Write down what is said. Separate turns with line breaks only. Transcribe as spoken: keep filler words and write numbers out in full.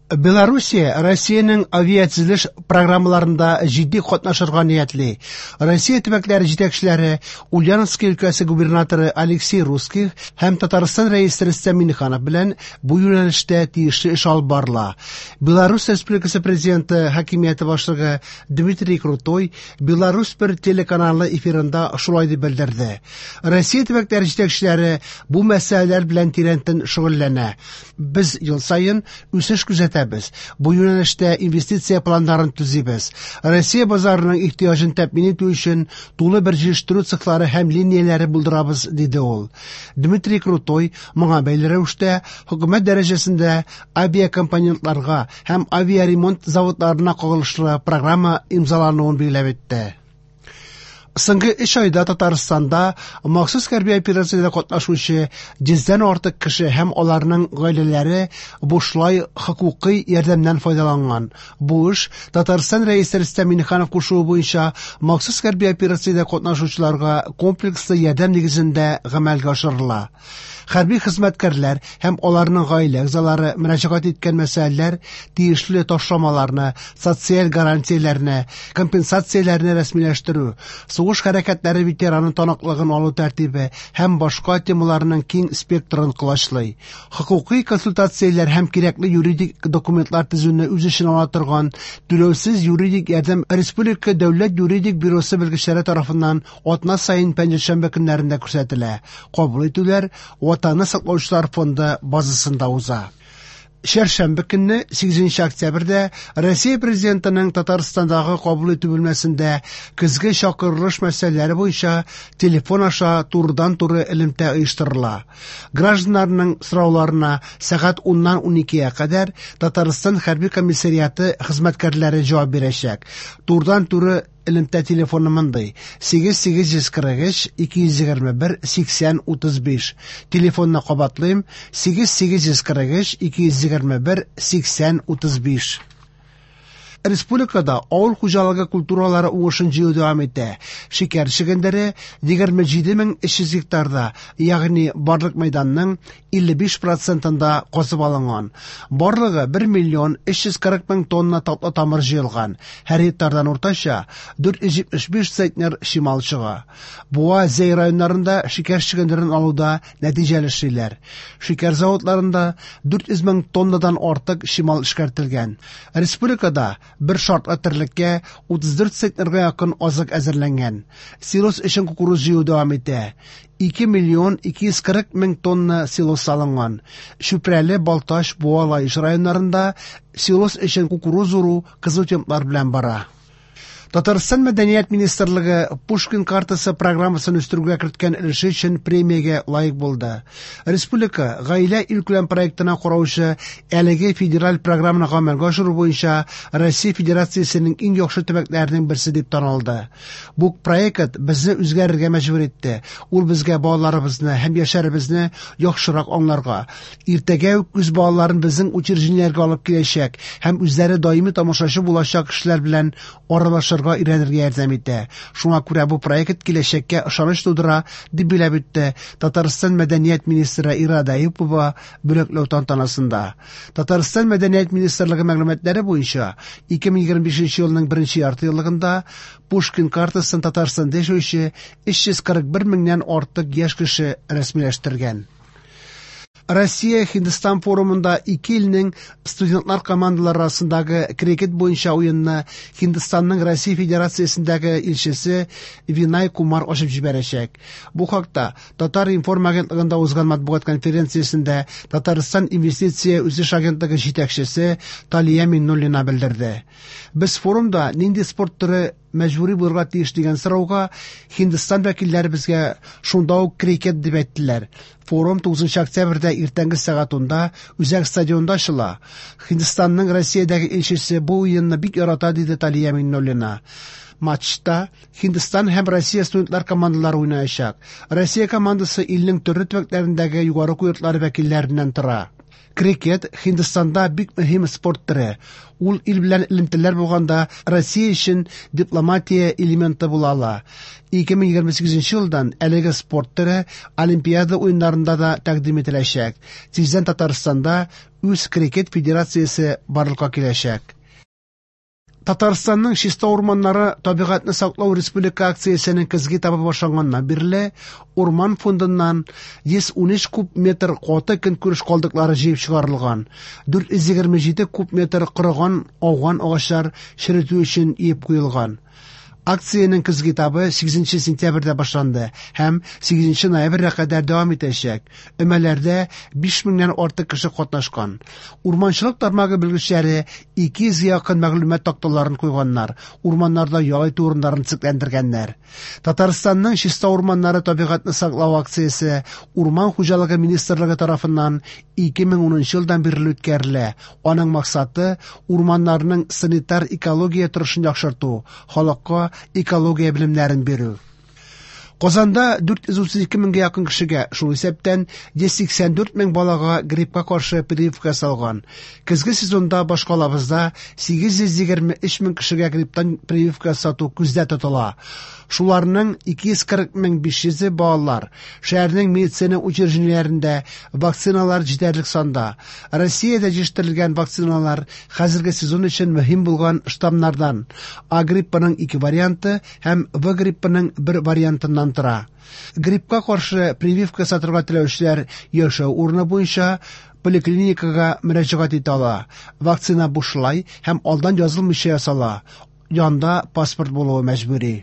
Белоруссия Россиянең авиатөзелеш программаларында җитди катнашырга ниятли. Россия төбәкләре җитәкчеләре Ульяновский өлкәсе губернаторы Алексей Русских һәм Татарстан рәисе Рөстәм Миңнеханов белән бу юнәлештә тиешле эш алып барыла. Беларусь Республикасы президенты хакимияте башлыгы Дмитрий Крутой Беларусь бер телеканалы эфирында шулай дип белдерде. Россия төбәкләре җитәкчеләре бу мәсьәләләр белән тирәнтен шөгыльләнә. Без ел саен үсеш күзәтәбез. Бу юнәлештә инвестиция планнарын төзибез. Россия базарының ихтыяҗын тәэмин итү өчен тулы бер җитештерү цехлары һәм линияләре булдырабыз, диде ул. Дмитрий Крутой моңа бәйле рәвештә хөкүмәт дәрәҗәсендә авиакомпонентларга һәм авиаремонт заводларына кагылышлы программа имзалануын билгеләп үтте. Соңгы өч айда Татарстанда махсус хәрби операциядә катнашучы йөздән артык кеше һәм аларның гаиләләре бушлай хокукый ярдәмнән файдаланган. Бу эш Татарстан рәисе Рөстәм Миңнеханов кушуы буенча махсус хәрби операциядә катнашучыларга комплекслы ярдәм нигезендә гамәлгә ашырыла. Хәрби хезмәткәрләр һәм аларның гаилә әгъзалары мөрәҗәгать иткән мәсьәләләр тиешле ташламаларны, социаль гарантияләрне, компенсацияләрне рәсмиләштерү, сугыш хәрәкәтләре ветераны таныклыгын алу тәртибе һәм башка темаларның киң спектрын колачлый. Хокукый консультацияләр һәм кирәкле юридик документлар төзүне үз эченә ала торган түләүсез юридик ярдәм Республика дәүләт юридик бюросы белгечләре тарафыннан атна саен пәнҗешәмбе көннәрендә күрсәтелә. Кабул итүләр Ватанны саклаучылар фонды базасында уза. Чәршәмбе көнне сигезенче октябрьдә Россия президентының Татарстандагы кабул итү бүлмәсендә көзге чакырылыш мәсьәләләре буенча телефон аша турыдан-туры элемтә оештырыла. Гражданнарның сорауларына сәгать уннан уникегә кадәр Татарстан хәрби комиссариаты хезмәткәрләре җавап бирәчәк. Турыдан-туры элемтә телефоны мондый: сигез сигез йөз кырык өч ике йөз егерме бер сиксән утыз биш. Телефонны кабатлыйм: сигез сигез йөз кырык өч ике йөз егерме бер сиксән утыз биш. Республикада авыл хуҗалыгы культуралары уңышын җыю дәвам итә. Шикәр чөгендере егерме җиде мең өч йөз гектарда, ягъни барлык мәйданның илле биш процентында казып алынган. Барлыгы бер миллион өч йөз кырык мең тонна татлы тамыр җыелган. Һәр гектардан уртача дүрт йөз җитмеш биш центнер чимал чыга. Буа, Зәй районнарында шикәр чөгендерен алуда нәтиҗәле эшлиләр. Шикәр заводларында дүрт йөз мең тоннадан артык чимал эшкәртелгән. Республикада бер шартлы терлеккә утыз дүрт центнерга якын азык әзерләнгән. Силос өчен кукуруз җыю дәвам итә. Ике миллион ике йөз кырык мең тонна силос салынган. Чүпрәле, Балтач, Буа, Лаеш районнарында силос өчен кукуруз уру кызу темплар белән бара. Татарстан Мәдәният министрлыгы Пушкин картасы программасын үстерүгә керткән өлеше өчен премиягә лаек булды. Республика гаилә илкүләм проектына караучы әлеге федераль программаны гамәлгә ашыру буенча Россия Федерациясенең иң яхшы төбәкләренең берсе дип танылды. Бу проект безне үзгәрергә мәҗбүр итте. Ул безгә балаларыбызны һәм яшьләребезне яхшырак аңларга, иртәгә үк үз балаларын безнең учреждениеләргә алып киләчәк һәм үзләре даими тамашачы булачак кешеләр белән аралашырга өйрәнергә ярдәм итә. Шуңа күрә бу проект киләчәккә ышаныч тудыра, дип билгеләп үтте Татарстан Мәдәният министры Ирада Әюпова бүләкләү тантанасында. Татарстан Мәдәният министрлыгы мәгълүматлары буенча ике мең егерме бишенче елның беренче ярты еллыгында Пушкин картасын Татарстанда яшәүче өч йөз кырык бер меңнән артык яшь кеше рәсмиләштергән. Россия Һиндстан форумында ике илнең студентлар командалары арасындагы крикет буенча уенны Һиндстанның Россия Федерациясендәге илчесе Винай Кумар ачып җибәрәчәк. Бу хакта Татар информ агентлыгында узган матбугат конференциясендә Татарстан инвестиция үсеш агентлыгы җитәкчесе Талия Миннуллина белдерде. Без форумда нинди спорт төре мәҗбүри булырга тиеш дигән сорауга Һиндстан вәкилләре безгә шунда ук крикет дип әйттеләр. Форум тугызынчы октябрьдә иртәнге сәгать унда Үзәк стадионда ачыла. Һиндстанның Россиядәге илчесе бу уенны бик ярата, диде Талия Миннуллина. Матчта Һиндстан һәм Россия студентлар командалары уйнаячак. Россия командасы илнең төрле төбәкләрендәге югары уку йортлары вәкилләреннән тора. Крикет Һиндстанда бик мөһим спорт төре. Ул ил белән элемтәләр булганда Россия өчен дипломатия элементы була ала. Ике мең егерме сигезенче елдан әлеге спорт төре Олимпиада уеннарында да тәкъдим ителәчәк. Тиздән Татарстанда үз крикет федерациясе барлыкка киләчәк. Татарстанның чиста урманнары табигатьне саклау республика акциясенең көзге этабы башланганнан бирле урман фондыннан йөз унөч куб метр каты көнкүреш калдыклары җыеп чыгарылган, дүрт йөз егерме җиде куб метр корыган ауган агачлар черетү өчен иеп куелган. Акциянең көзге этабы сигезенче сентябрьдә башланды һәм сигезенче ноябрьгә кадәр дәвам итәчәк. Өмәләрдә биш меңнән артык кеше катнашкан. Урманчылык тармагы белгечләре ике йөзгә якын мәгълүмат такталарын куйганнар, урманнарда ял итү урыннарын төзекләндергәннәр. Татарстанның чиста урманнары табигатьне саклау акциясе Урман хуҗалыгы министрлыгы тарафыннан ике мең унынчы елдан бирле үткәрелә. Аның максаты урманнарның санитар экология торышын яхшырту, халыкка экология белемнәрен бирү. Казанда дүрт йөз утыз ике меңгә якын кешегә, шул исәптән йөз сиксән дүрт мең балага гриппка каршы прививка ясалган. Көзге сезонда башкалабызда сигез йөз егерме өч мең кешегә грипптан прививка ясату күздә тотыла. Шуларның ике йөз кырык мең биш йөзе балалар. Шәһәрнең медицина учреждениеләрендә вакциналар җитәрлек санда. Россиядә җитештерелгән вакциналар хәзерге сезон өчен мөһим булган штаммнардан А гриппының ике варианты һәм В гриппының бер вариантыннан тора. Гриппка каршы прививка ясатырга теләүчеләр яшәү урыны буенча поликлиникага мөрәҗәгать итә ала. Вакцина бушлай һәм алдан язылмыйча ясала. Янда паспорт булуы мәҗбүри.